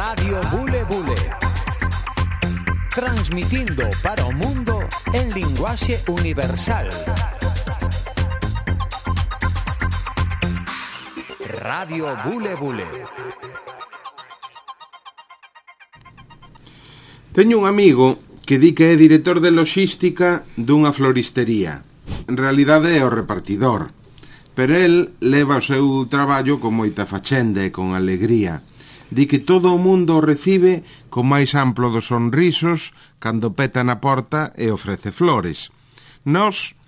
Radio Bule Bule. Transmitindo para o mundo en linguaxe universal. Radio Bule Bule. Teño un amigo que di que é director de loxística dunha floristería. En realidade é o repartidor, pero el leva o seu traballo con moita fachenda e con alegría. Di que todo o mundo o recibe con máis amplo dos sonrisos cando peta na porta e ofrece flores. Nós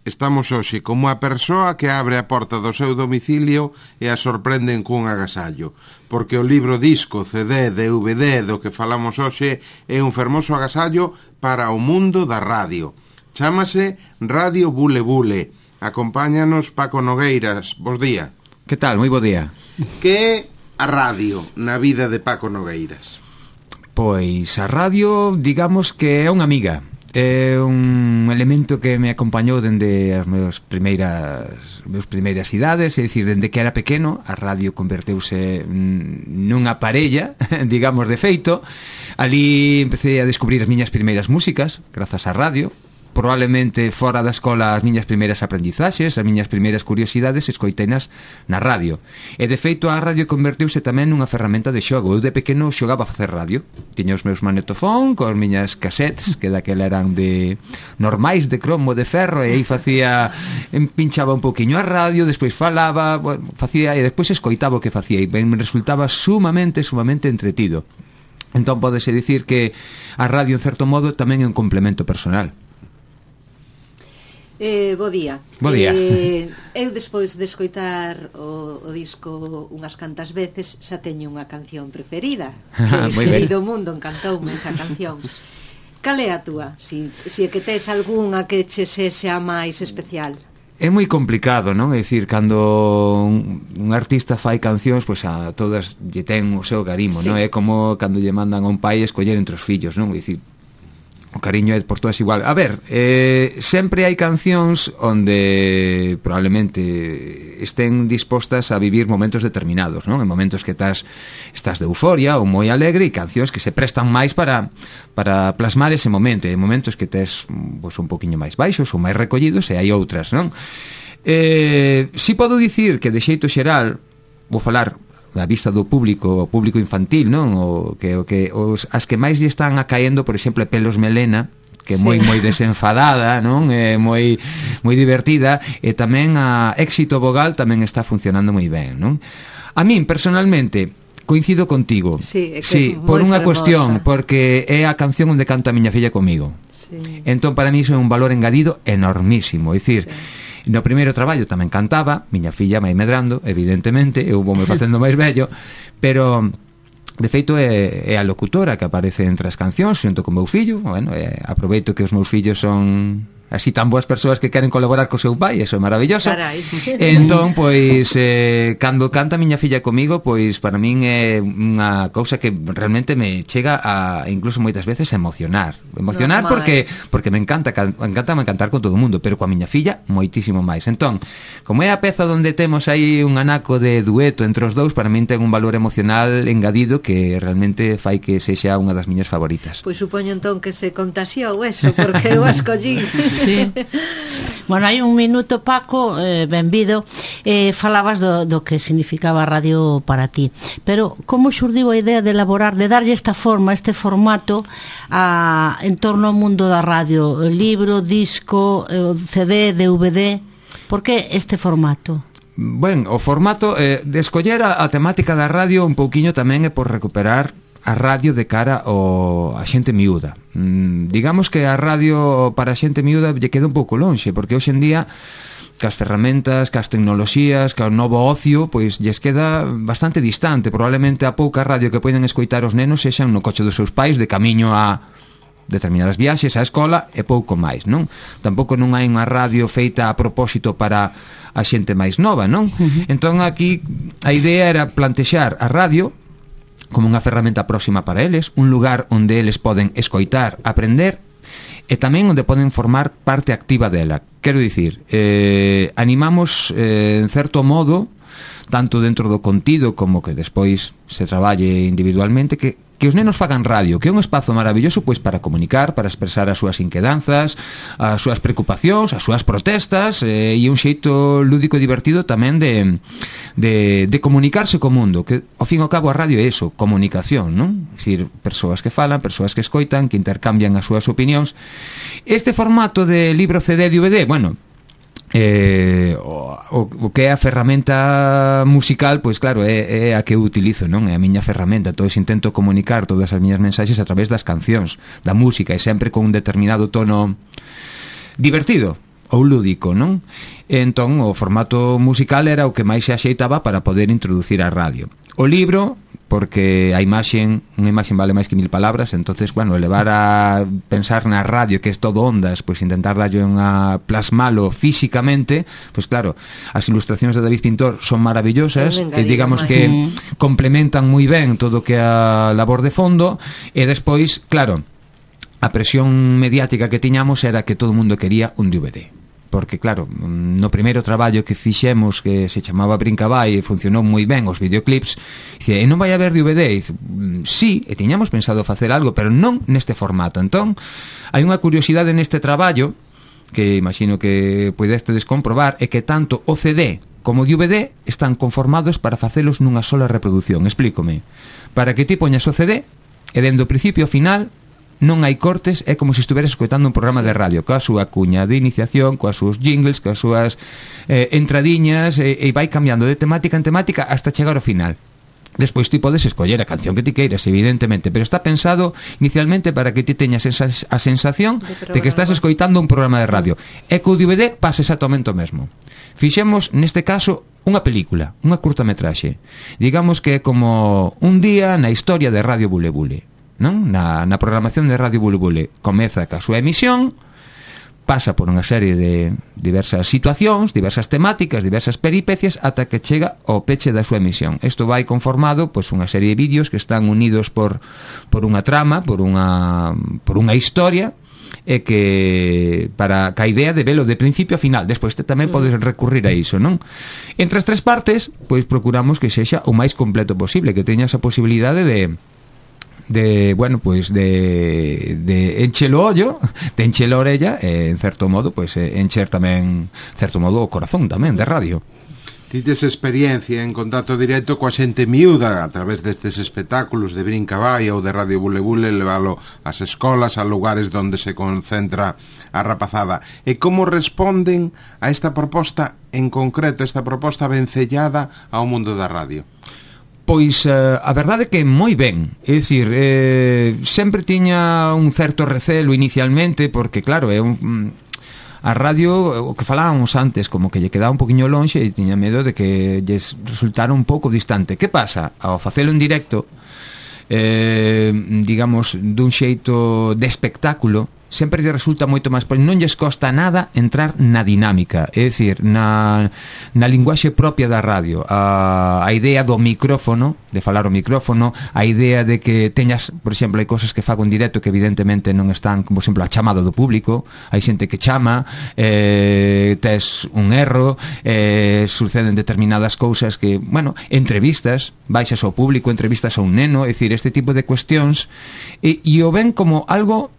estamos hoxe como a persoa que abre a porta do seu domicilio e a sorprenden cun agasallo, porque o libro disco, CD, DVD do que falamos hoxe é un fermoso agasallo para o mundo da radio. Chámase Radio Bule Bule. Acompáñanos Paco Nogueiras. Bos día. Que tal? Moi bo día. Que é a radio na vida de Paco Nogueiras? Pois a radio, digamos que é unha amiga. É un elemento que me acompañou dende as meus primeiras idades, é dicir, dende que era pequeno, a radio converteuse nunha parella, digamos, de feito. Ali empecé a descubrir as miñas primeiras músicas, grazas á radio. Probablemente fora da escola as miñas primeiras aprendizaxes, as miñas primeiras curiosidades escoitenas na radio. E de feito a radio converteuse tamén nunha ferramenta de xogo. Eu de pequeno xogaba a facer radio. Tiña os meus magnetofón cos miñas cassettes, que daquela eran de normais, de cromo, de ferro, e aí facía, pinchaba un poquinho a radio, despois falaba, bueno, facía, e despois escoitaba o que facía, e me resultaba sumamente entretido. Entón pódese dicir que a radio en certo modo tamén é un complemento personal. Bo día. Bo día. Eu despois de escoitar o disco unhas cantas veces xa teño unha canción preferida, que Querido Mundo, encantoume esa canción. Cal é a túa? Si é que tes algunha que che sexa máis especial. É moi complicado, non? É dicir, cando un artista fai cancións, pois a todas lle ten o seu garimo, sí. Non? É como cando lle mandan a un pai escoller entre os fillos, non? É dicir, o cariño é por todas igual. A ver, sempre hai cancións onde probablemente estén dispostas a vivir momentos determinados, non? En momentos que estás de euforia ou moi alegre, e cancións que se prestan máis para plasmar ese momento. En momentos que tes pois, un poquinho máis baixos ou máis recollidos, e hai outras, non? Si podo dicir que de xeito xeral vou falar a vista do público, o público infantil, non? As que máis lle están acaendo, por exemplo, Pelos Melena, que é moi desenfadada, non? É moi divertida, e tamén a Éxito Vogal tamén está funcionando moi ben, non? A min, personalmente, coincido contigo. Sí, por unha cuestión, porque é a canción onde canta a miña filla comigo. Sí. Entón, para mí, iso é un valor engadido enormísimo. É dicir, no primeiro traballo tamén cantaba, miña filla vai medrando, evidentemente, eu vou me facendo máis vello, pero de feito é a locutora que aparece entre as cancións xunto con meu fillo. Bueno, aproveito que os meus fillos son así tan boas persoas que queren colaborar co seu pai, eso é maravilloso. Carai. Entón, pois, cando canta a miña filla comigo, pois, para min é unha cousa que realmente me chega a, incluso moitas veces, a emocionar. Emocionar porque me encanta cantar con todo o mundo, pero coa miña filla, moitísimo máis. Entón, como é a peza onde temos aí un anaco de dueto entre os dous, para min ten un valor emocional engadido que realmente fai que sexa unha das miñas favoritas. Pois supoño entón que se contaxiou eso, porque eu a escollín. Sí. Bueno, hai un minuto, Paco, benvido, falabas do que significaba a radio para ti, pero como xurdiu a idea de elaborar, de darlle esta forma, este formato en torno ao mundo da radio, libro, disco, CD, DVD? Por que este formato? Ben, o formato de escoller a temática da radio un pouquiño tamén é por recuperar a radio de cara a xente miúda. Digamos que a radio para a xente miúda lle queda un pouco lonxe, porque hoxe en día cas ferramentas, cas tecnoloxías, cas novo ocio, pois lles queda bastante distante. Probablemente a pouca radio que poden escoitar os nenos sexan no coche dos seus pais de camiño a determinadas viaxes á escola e pouco máis, non? Tampouco non hai unha radio feita a propósito para a xente máis nova, non? Entón aquí a idea era plantexar a radio como unha ferramenta próxima para eles, un lugar onde eles poden escoitar, aprender e tamén onde poden formar parte activa dela. Quero dicir, animamos en certo modo tanto dentro do contido como que despois se traballe individualmente, que os nenos fagan radio, que é un espazo maravilloso pois para comunicar, para expresar as súas inquedanzas, as súas preocupacións, as súas protestas, e un xeito lúdico e divertido tamén de comunicarse co mundo, que ao fin e ao cabo a radio é eso, comunicación, non? É dicir, persoas que falan, persoas que escoitan, que intercambian as súas opinións. Este formato de libro, CD, DVD, bueno, o que é a ferramenta musical, pois claro, é a que eu utilizo, non? É a miña ferramenta. Entón intento comunicar todas as miñas mensaxes a través das cancións, da música, e sempre con un determinado tono divertido ou lúdico, non? Entón o formato musical era o que máis se axeitaba para poder introducir a radio. O libro, porque a unha imaxe vale máis que 1000 palabras, entonces, bueno, levar a pensar na radio, que é todo ondas, pois intentar darlle unha plasmalo físicamente, pois claro, as ilustracións de David Pintor son maravillosas, e digamos que complementan moi ben todo o que é a labor de fondo, e despois, claro, a presión mediática que tiñamos era que todo o mundo quería un DVD. Porque, claro, no primeiro traballo que fixemos, que se chamaba Brincabay, e funcionou moi ben os videoclips, dice, e non vai haber DVD? Dice, sí, e tiñamos pensado facer algo, pero non neste formato. Entón, hai unha curiosidade neste traballo, que imagino que poidestes comprobar, é que tanto o CD como o DVD están conformados para facelos nunha sola reproducción. Explícome. Para que ti poñas o CD, e dende o principio ao final non hai cortes, é como se estuveras escoitando un programa de radio, coa súa cuña de iniciación, coas súas jingles, coas súas entradiñas, e vai cambiando de temática en temática hasta chegar ao final. Despois ti podes escoller a canción que ti queiras, evidentemente, pero está pensado inicialmente para que ti teñas a sensación de que estás escoitando un programa de radio. E co DVD pasa exactamente o mesmo. Fixemos, neste caso, unha película, unha curtametraxe. Digamos que é como un día na historia de Radio Bule Bule, non? Na programación de Radio Bule Bule. Comeza ca súa emisión, pasa por unha serie de diversas situacións, diversas temáticas, diversas peripecias, ata que chega ao peche da súa emisión. Isto vai conformado pois unha serie de vídeos que están unidos por unha trama, por unha historia, e que para a idea de velo de principio a final. Despois tamén podes recurrir a iso, non? Entre as tres partes, pois procuramos que sexa o máis completo posible, que teña esa posibilidade de encher o ollo, de encher a orella, e en certo modo, pois encher tamén, certo modo, o corazón tamén de radio. Tites experiencia en contacto directo coa xente miúda a través destes espectáculos de Brincabay ou de Radio Bule Bule, levalo ás escolas, a lugares onde se concentra a rapazada. E como responden a esta proposta en concreto, esta proposta vencellada ao mundo da radio? Pois a verdade é que moi ben. É dicir, sempre tiña un certo recelo inicialmente, porque claro, a radio, o que falábamos antes, como que lle quedaba un poquinho lonxe, e tiña medo de que lles resultara un pouco distante. Que pasa? Ao facelo en directo, digamos, dun xeito de espectáculo, sempre lle resulta moito máis, porque non lles costa nada entrar na dinámica, é dicir, na linguaxe propia da radio, a idea do micrófono, de falar o micrófono, a idea de que teñas, por exemplo, hai cosas que fago en directo que evidentemente non están, como por exemplo, a chamada do público, hai xente que chama, tes un erro, suceden determinadas cousas que, bueno, entrevistas, baixas ao público, entrevistas a un neno, é dicir, este tipo de cuestións, e o ven como algo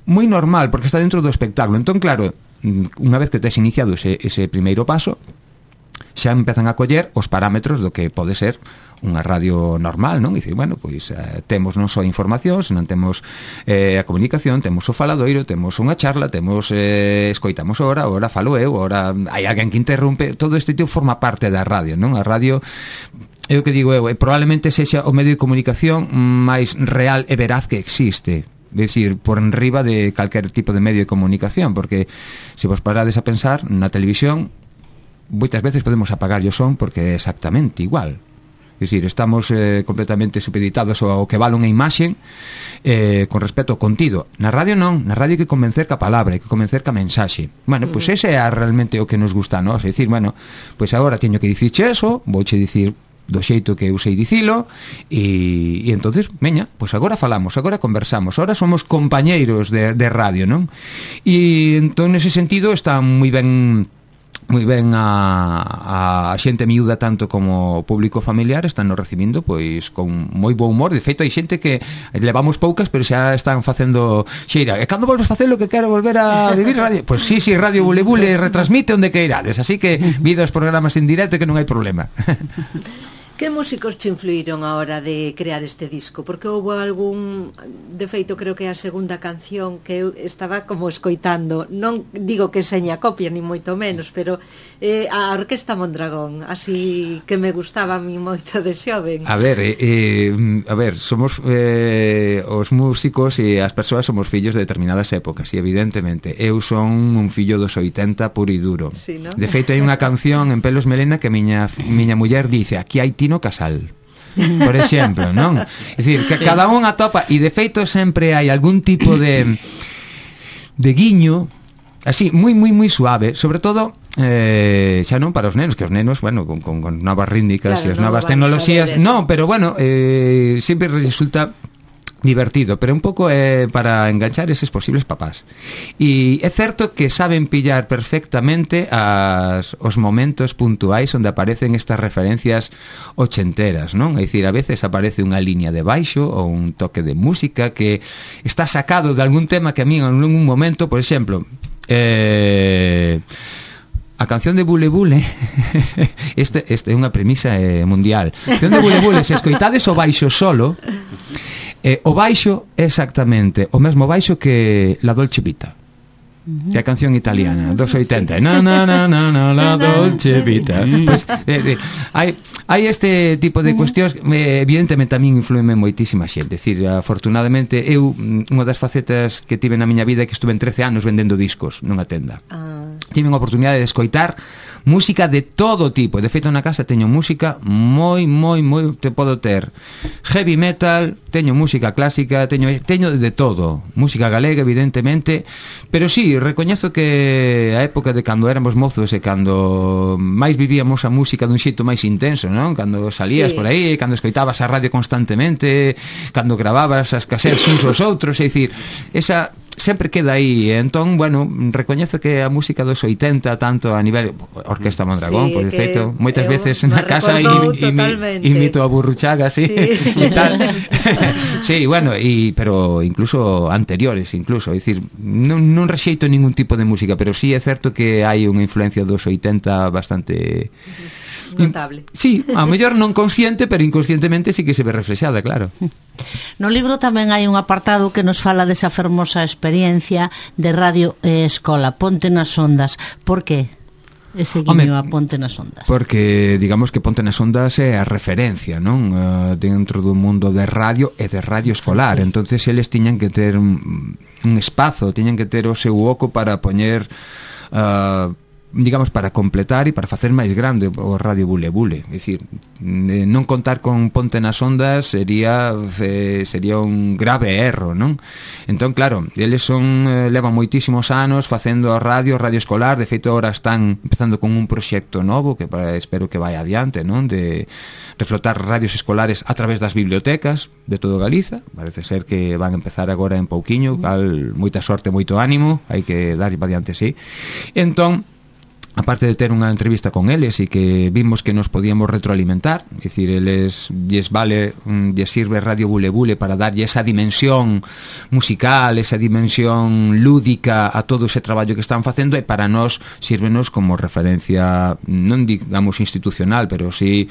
moi normal, porque está dentro do espectáculo. Entón, claro, unha vez que tes iniciado ese primeiro paso, xa empezan a coller os parámetros do que pode ser unha radio normal, non? E dicir, bueno, pois temos non só información, senón temos a comunicación, temos o faladoiro, temos unha charla, temos escoitamos ora falo eu, ora hai alguén que interrompe. Todo este tipo forma parte da radio, non? A radio, é o que digo eu, probablemente sexa o medio de comunicación máis real e veraz que existe. É dicir, por enriba de calquer tipo de medio de comunicación, porque se vos parades a pensar na televisión, moitas veces podemos apagar o son porque é exactamente igual. É dicir, estamos completamente supeditados ao que vale unha imaxe con respecto ao contido. Na radio non, na radio hai que convencer ca palabra, hai que convencer ca mensaxe. Bueno, pois ese é realmente o que nos gusta, non? É dicir, bueno, pois agora teño que dicirche eso, vouche dicir do xeito que eu sei dicilo, e entonces, veña, pois agora falamos, agora conversamos, agora somos compañeiros de radio, non? E entón, nese sentido, está moi ben moi ben a xente miúda tanto como o público familiar están nos recibindo pois con moi bo humor. De feito hai xente que levamos poucas pero xa están facendo xeira, e cando volves facelo que quero volver a vivir radio, pois sí, Radio Bule Bule retransmite onde que irades, así que vido os programas en directo que non hai problema. Que músicos te influíron a hora de crear este disco? Porque houve algún... De feito, creo que é a segunda canción que eu estaba como escoitando. Non digo que seña copia, ni moito menos, pero a Orquesta Mondragón, así que me gustaba a mí moito de xoven. A ver, somos os músicos e as persoas somos fillos de determinadas épocas, e evidentemente eu son un fillo dos 80 puro e duro. Sí, ¿no? De feito, hai unha canción en Pelos Melena que miña muller dice: aquí hai Tino Casal, por exemplo, non? É dicir, que cada un atopa, e de feito sempre hai algún tipo de guiño así, moi suave, sobre todo xa non para os nenos, que os nenos, bueno, con novas rítmicas e as novas tecnoloxías, non, pero bueno, sempre resulta divertido, pero un pouco para enganchar eses posibles papás. E é certo que saben pillar perfectamente os momentos puntuais onde aparecen estas referencias ochenteras, non? É dicir, a veces aparece unha liña de baixo ou un toque de música que está sacado de algún tema que a mí en algún momento, por exemplo, a canción de Bule Bule este é unha premisa mundial. A canción de Bule Bule, se escoitades o baixo solo, o baixo é exactamente o mesmo baixo que La Dolce Vita, que é a canción italiana dos 80. La Dolce Vita. Pues, hai este tipo de cuestións. Evidentemente a min influenme moitísima xente. Decir, afortunadamente eu, unha das facetas que tive na miña vida é que estuve en 13 anos vendendo discos nunha tenda. Tive unha oportunidade de escoitar música de todo tipo. De feito, na casa teño música moi te podo ter heavy metal, teño música clásica, teño de todo, música galega evidentemente, pero sí, recoñezo que a época de cando éramos mozos e cando máis vivíamos a música dun xeito máis intenso, non? Cando salías por aí, cando escoitabas a radio constantemente, cando gravabas as casetes uns aos outros, é dicir, esa sempre queda aí. Entón, bueno, recoñezo que a música dos 80, tanto a nivel Orquesta Mondragón, por defeito, moitas veces na casa imito a Burruchaga, sí. E tal. Sí, bueno, pero incluso anteriores, incluso, é dicir, non rexeito ningún tipo de música, pero sí é certo que hai unha influencia dos 80 bastante notable. Sí, a mellor non consciente, pero inconscientemente sí que se ve reflexada, claro. No libro tamén hai un apartado que nos fala desa fermosa experiencia de radio e escola, Ponte nas Ondas. Por que ese guiño a Ponte nas Ondas? Porque digamos que Ponte nas Ondas é a referencia, non? Dentro do mundo de radio e de radio escolar. Entonces eles tiñan que ter un espazo, tiñan que ter o seu oco para poñer digamos, para completar e para facer máis grande o Radio Bule Bule. É dicir, non contar con Ponte nas Ondas sería un grave erro, non? Entón, claro, eles levan moitísimos anos facendo radio escolar. De feito, agora están empezando con un proxecto novo que espero que vai adiante, non? De reflotar radios escolares a través das bibliotecas de todo Galiza. Parece ser que van a empezar agora en pouquiño, cal moita sorte, moito ánimo, hai que dar para adiante, sí. Entón, aparte de ter unha entrevista con eles e que vimos que nos podíamos retroalimentar, é dicir, eles lles sirve Radio Bule Bule para darlle esa dimensión musical, esa dimensión lúdica a todo ese traballo que están facendo, e para nós sírvenos como referencia, non digamos institucional, pero sí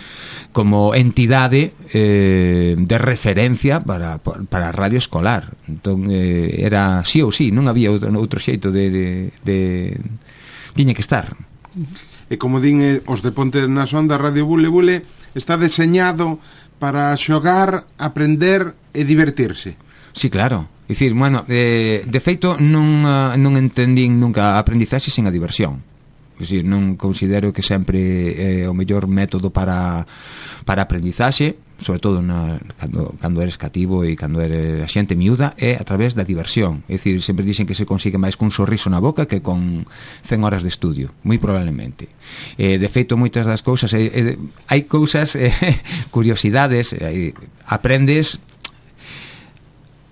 como entidade de referencia para a radio escolar. Entón, era sí ou sí, non había outro xeito de tiña que estar. E como din os de Ponte nas Ondas, Radio Bule Bule está deseñado para xogar, aprender e divertirse. Sí, claro. É dicir, bueno, de feito non entendín nunca a aprendizaxe sen a diversión. É dicir, non considero que sempre é o mellor método para aprendizaxe, sobre todo cando eres cativo e cando eres a xente miúda, é a través da diversión. É dicir, sempre dicen que se consigue máis cun sorriso na boca que con 100 horas de estudio, moi probablemente. De feito, moitas das cousas hai cousas, curiosidades, aprendes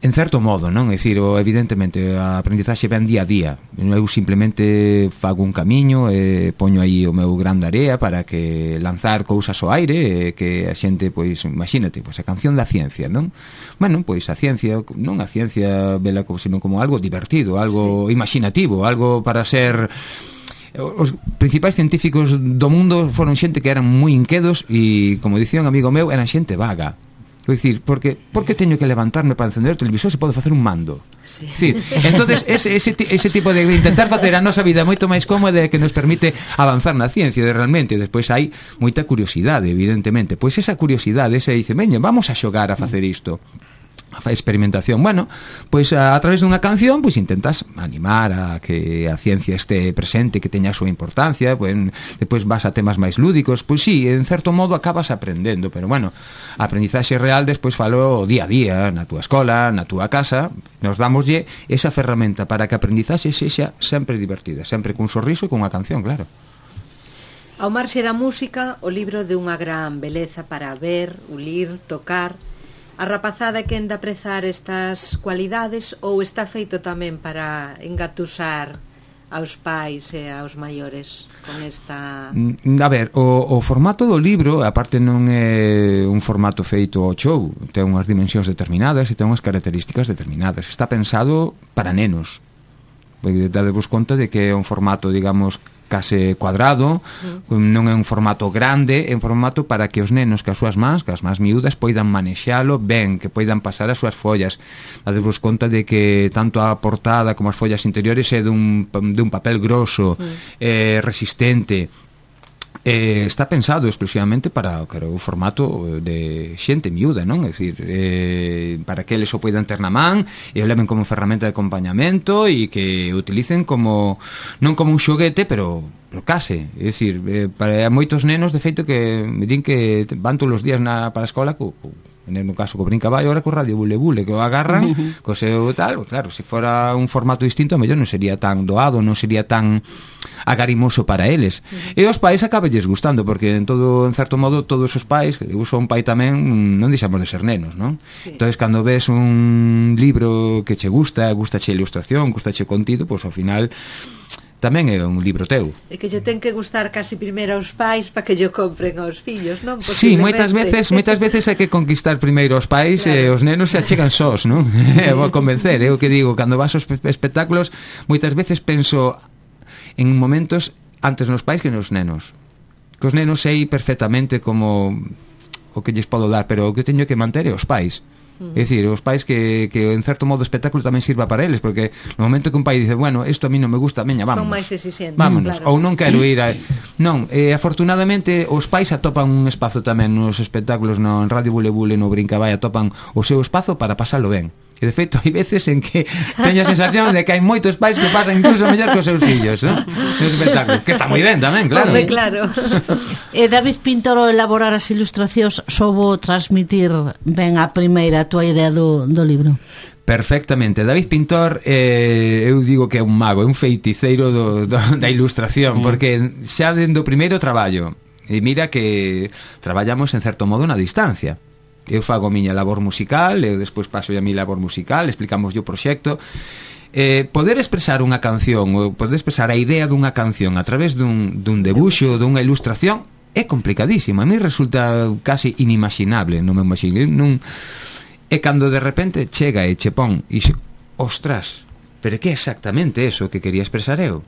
en certo modo, non? É dicir, evidentemente a aprendizaxe ven día a día. Eu simplemente fago un camiño e poño aí o meu gran de area para que lanzar cousas ao aire e que a xente, pois, imagínate, pois a canción da ciencia, non? Bueno, pois a ciencia, non a ciencia vela sino como algo divertido, algo imaginativo, algo para ser... Os principais científicos do mundo foron xente que eran moi inquedos e, como dicía un amigo meu, eran xente vaga. Vou dicir, porque teño que levantarme para encender o televisor se podo facer un mando? Sí. Decir, entonces ese tipo de intentar facer a nosa vida moito máis cómoda que nos permite avanzar na ciencia realmente. Despois hai moita curiosidade, evidentemente. Pois esa curiosidade se dice, veña, vamos a xogar a facer isto, a experimentación. Bueno, pois a través dunha canción pois intentas animar a que a ciencia este presente, que teña a súa importancia, pois depois vas a temas máis lúdicos, pois sí, en certo modo acabas aprendendo, pero bueno, a aprendizaxe real despois falo día a día, na túa escola, na túa casa, nos damoslle esa ferramenta para que a aprendizaxe sexa sempre divertida, sempre cun sorriso e cunha canción, claro. Ao marxe da música, o libro de unha gran beleza para ver, ulir, tocar. A rapazada que enda a aprezar estas cualidades ou está feito tamén para engatusar aos pais e aos maiores con esta... A ver, o formato do libro, aparte non é un formato feito ao show, ten unhas dimensións determinadas e ten unhas características determinadas. Está pensado para nenos. Dadevos conta de que é un formato, digamos, case cuadrado, non é un formato grande, é un formato para que os nenos que as súas mans, que as mans miúdas poidan manexalo ben, que poidan pasar as súas follas. Dadevos conta de que tanto a portada como as follas interiores é dun papel grosso, resistente. Está pensado exclusivamente para o formato de xente miúda, non? É dicir, para que eles o poidan ter na man e o leven como ferramenta de acompañamento e que o utilicen como non como un xoguete, pero case, é dicir, para moitos nenos de feito que me din que van todos os días para a escola no caso co brincaballo, agora co radio bule bule que o agarran, co seu tal, claro, se fora un formato distinto, a mellor non sería tan doado, non sería tan agarimoso para eles. E os pais acabelles gustando, porque en certo modo todos os pais, eu sou un pai tamén, non deixamos de ser nenos, non? Sí. Entonces cando ves un libro que che gustache a ilustración, gustache o contido, pois ao final tamén é un libro teu. E que lle ten que gustar casi primeiro aos pais para que lle compren aos fillos, non? Sí, moitas veces hai que conquistar primeiro aos pais, claro. E os nenos se achegan sós, non? Vou convencer, é o que digo, cando vas aos espectáculos, moitas veces penso en momentos antes nos pais que nos nenos. Que os nenos sei perfectamente como o que lles podo dar, pero o que teño que manter é os pais. É dicir, os pais que en certo modo o espectáculo tamén sirva para eles, porque no momento que un pai dice, bueno, isto a mí non me gusta, veña, vámonos. Son máis exigentes, vámonos, claro. Ou non quero ir a... Non, afortunadamente os pais atopan un espazo tamén nos espectáculos, no Radio Bule Bule, no Brincabay, atopan o seu espazo para pasalo ben. E de feito hai veces en que teño a sensación de que hai moitos pais que pasan incluso mellor que os seus fillos, non? Nos espectáculos, que está moi ben tamén, claro. Hombre, claro. David Pintor, ao elaborar as ilustracións, soubo transmitir ben a primeira a túa idea do libro? Perfectamente. David Pintor, eu digo que é un mago, é un feiticeiro da ilustración, porque xa dende o primeiro traballo, e mira que traballamos en certo modo na distancia. Eu fago a miña labor musical, eu despois paso a mi labor musical, explicamos o proxecto. Poder expresar unha canción, ou poder expresar a idea dunha canción a través dun debuxo, dunha ilustración, é complicadísimo. A mí resulta casi inimaginable, non me imagino. E cando de repente chega e che pon e xe, ostras, pero que é exactamente eso que quería expresar eu?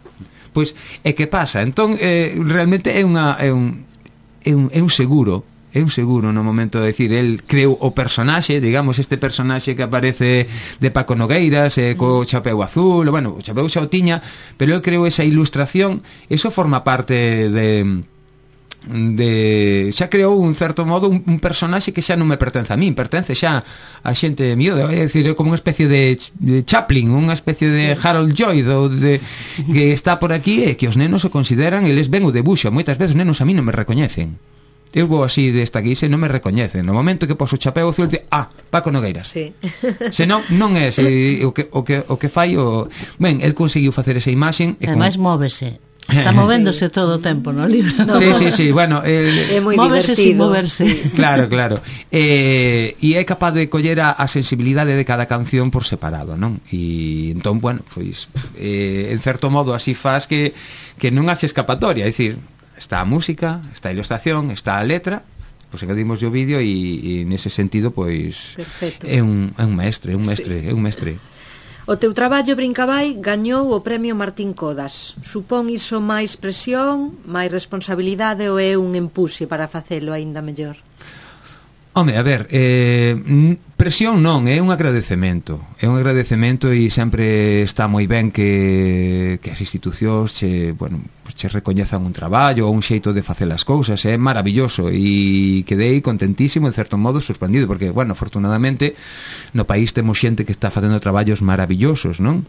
Pois, e que pasa? Entón, realmente é un seguro. É un seguro no momento de decir, el creu o personaxe, digamos, este personaxe que aparece de Paco Nogueiras, co chapeu azul, bueno, o chapeu xa o tiña, pero el creu esa ilustración, eso forma parte de xa creou un certo modo un personaxe que xa non me pertence a min, pertence xa a xente miúda, é dicir, é como unha especie de Chaplin, unha especie de Harold Lloyd que está por aquí e que os nenos se consideran, eles ven o debuxo, moitas veces os nenos a mí non me recoñecen. Eu vou así desta guisa e non me recoñecen. No momento que poso o chapeu azul, dice, Paco Nogueiras. Sí. Se non é o que fai o... Ben, el conseguiu facer esa imaxen. Ademais móvese. Está movéndose todo o tempo no libro. Sí, bueno, é moi móvese sin moverse. Claro. E é capaz de coller a sensibilidade de cada canción por separado, non? E entón, bueno, pois en certo modo así faz que non haxe escapatoria, é dicir, está a música, está a ilustración, está a letra, pois engadimos o vídeo e nese sentido, pois é un mestre. O teu traballo Brincabai gañou o premio Martín Codas. Supón iso máis presión, máis responsabilidade ou é un empuxe para facelo aínda mellor? Home, a ver, presión non, é un agradecemento. É un agradecemento e sempre está moi ben que as institucións che recoñezan un traballo ou un xeito de facer as cousas. É maravilloso e quedei contentísimo, en certo modo sorprendido, porque, bueno, afortunadamente no país temos xente que está facendo traballos maravillosos, non?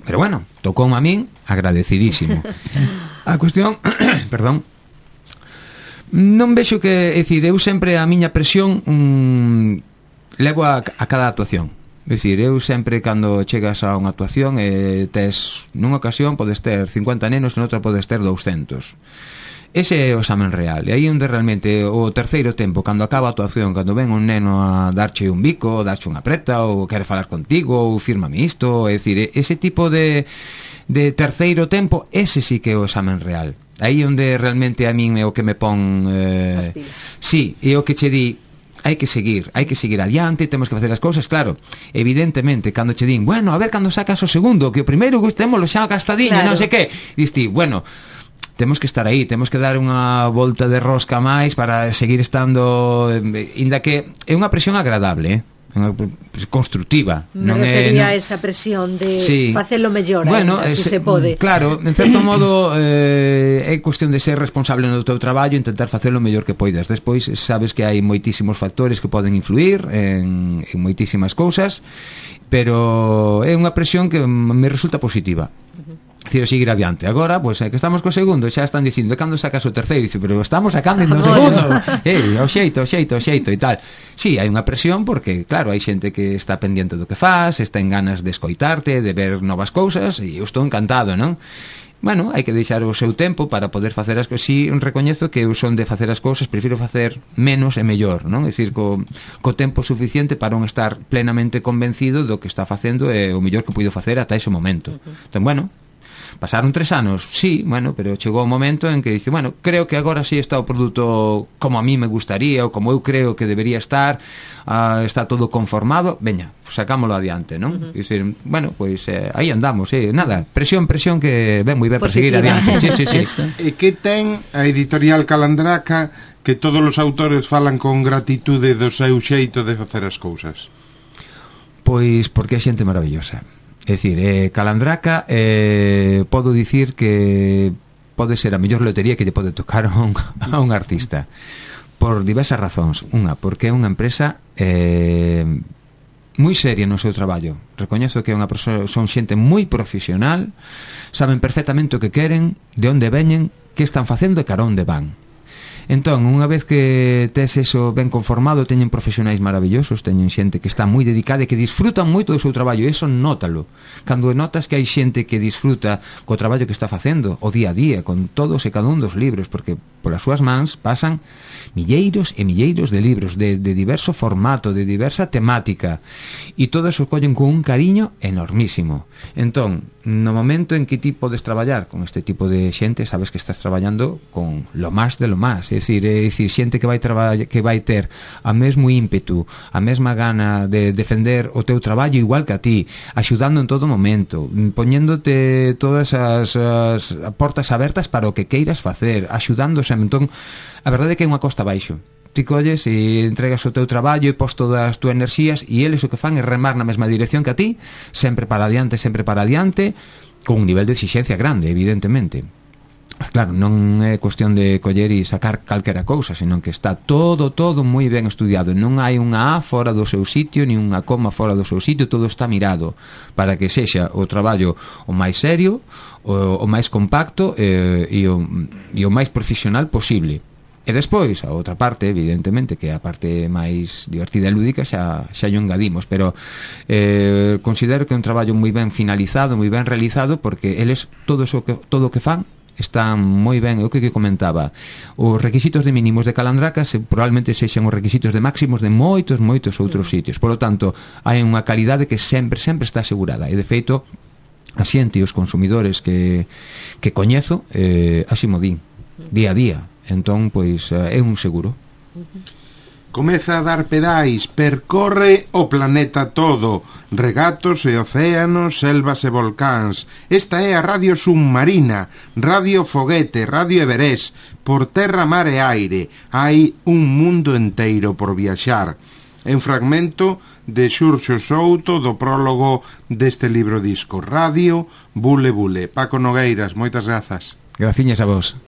Pero, bueno, tocou a min agradecidísimo. A cuestión, perdón, non vexo que, é dicir, eu sempre a miña presión levo a cada actuación. É dicir, eu sempre cando chegas a unha actuación tes, nunha ocasión podes ter 50 nenos e noutra podes ter 200. Ese é o examen real. E aí onde realmente o terceiro tempo, cando acaba a actuación, cando ven un neno a darche un bico, darche unha preta, ou quere falar contigo, ou fírmame isto, é dicir, ese tipo de terceiro tempo, ese sí que é o examen real. Aí onde realmente a min é o que me pon sí, é o que che di hai que seguir adiante, temos que facer as cousas, claro, evidentemente cando che din, bueno, a ver cando sacas o segundo, que o primeiro gustémolo xa gastadiño, claro. Non sei que, diste, bueno, temos que estar aí, temos que dar unha volta de rosca máis para seguir estando, inda que é unha presión agradable, constructiva. Me refería a esa presión de facelo mellor, bueno, se se pode. Claro, en certo modo é cuestión de ser responsable no teu traballo, intentar facelo o mellor que poidas. Despois sabes que hai moitísimos factores que poden influir en moitísimas cousas, pero é unha presión que me resulta positiva. Decir, seguir adiante. Agora, pois, que estamos co segundo, xa están dicindo, cando sacas o terceiro? Dice, pero estamos sacando no segundo. O xeito e tal. Sí, hai unha presión porque, claro, hai xente que está pendiente do que faz, está en ganas de escoitarte, de ver novas cousas, e eu estou encantado, non? Bueno, hai que deixar o seu tempo para poder facer as cousas. Si recoñezo que eu son de facer as cousas, prefiro facer menos e mellor, non? É dicir, co tempo suficiente para non estar plenamente convencido do que está facendo e o mellor que puido facer ata ese momento. Entón, bueno, pasaron 3 anos, sí, bueno, pero chegou o momento en que dice, bueno, creo que agora sí está o produto como a mí me gustaría ou como eu creo que debería estar, está todo conformado, veña, sacámolo adiante, non? Dicir, bueno, pois aí andamos, nada, presión que ven moi ben para seguir adiante. Sí. E que ten a editorial Calandraca que todos os autores falan con gratitude do seu xeito de facer as cousas? Pois porque é xente maravillosa. É dicir, Calandraca podo dicir que pode ser a mellor lotería que lle pode tocar a un artista por diversas razóns. Unha, porque é unha empresa moi seria no seu traballo. Recoñezo que é unha persoa, son xente moi profesional, saben perfectamente o que queren, de onde veñen, que están facendo e cara onde van. Entón, unha vez que tes eso ben conformado, teñen profesionais maravillosos, teñen xente que está moi dedicada e que disfrutan moito do seu traballo, e eso nótalo. Cando notas que hai xente que disfruta co traballo que está facendo, o día a día, con todos e cada un dos libros, porque polas súas mans pasan milleiros e milleiros de libros de diverso formato, de diversa temática, e todos o collen con un cariño enormísimo. Entón, no momento en que ti podes traballar con este tipo de xente, sabes que estás traballando con lo más de lo más. É dicir, xente que vai ter a mesmo ímpetu, a mesma gana de defender o teu traballo igual que a ti, axudando en todo momento, poñéndote todas as portas abertas para o que queiras facer, axudándose. Entón, a verdade é que é unha costa baixo. Ti colles e entregas o teu traballo e pos todas as túas enerxías, e eles o que fan é remar na mesma dirección que a ti, sempre para adiante, con un nivel de exixencia grande, evidentemente. Claro, non é cuestión de coller e sacar calquera cousa, senón que está todo moi ben estudiado. Non hai unha A fora do seu sitio, ni unha coma fora do seu sitio, todo está mirado para que sexa o traballo o máis serio, o máis compacto e o máis profesional posible. E despois, a outra parte, evidentemente, que é a parte máis divertida e lúdica, xa lle engadimos, pero considero que é un traballo moi ben finalizado, moi ben realizado, porque eles todo o que fan están moi ben, o que comentaba, os requisitos de mínimos de Calandraca probablemente sexan os requisitos de máximos de moitos outros sitios, polo tanto hai unha calidade que sempre está asegurada, e de feito a xente e os consumidores que coñezo así mo din día a día, entón pois é un seguro. Comeza a dar pedais, percorre o planeta todo, regatos e océanos, selvas e volcáns. Esta é a Radio Submarina, Radio Foguete, Radio Everest, por terra, mar e aire. Hai un mundo enteiro por viaxar. É un fragmento de Xurxo Souto do prólogo deste libro disco, Radio Bule Bule. Paco Nogueiras, moitas grazas. Graciñas a vos.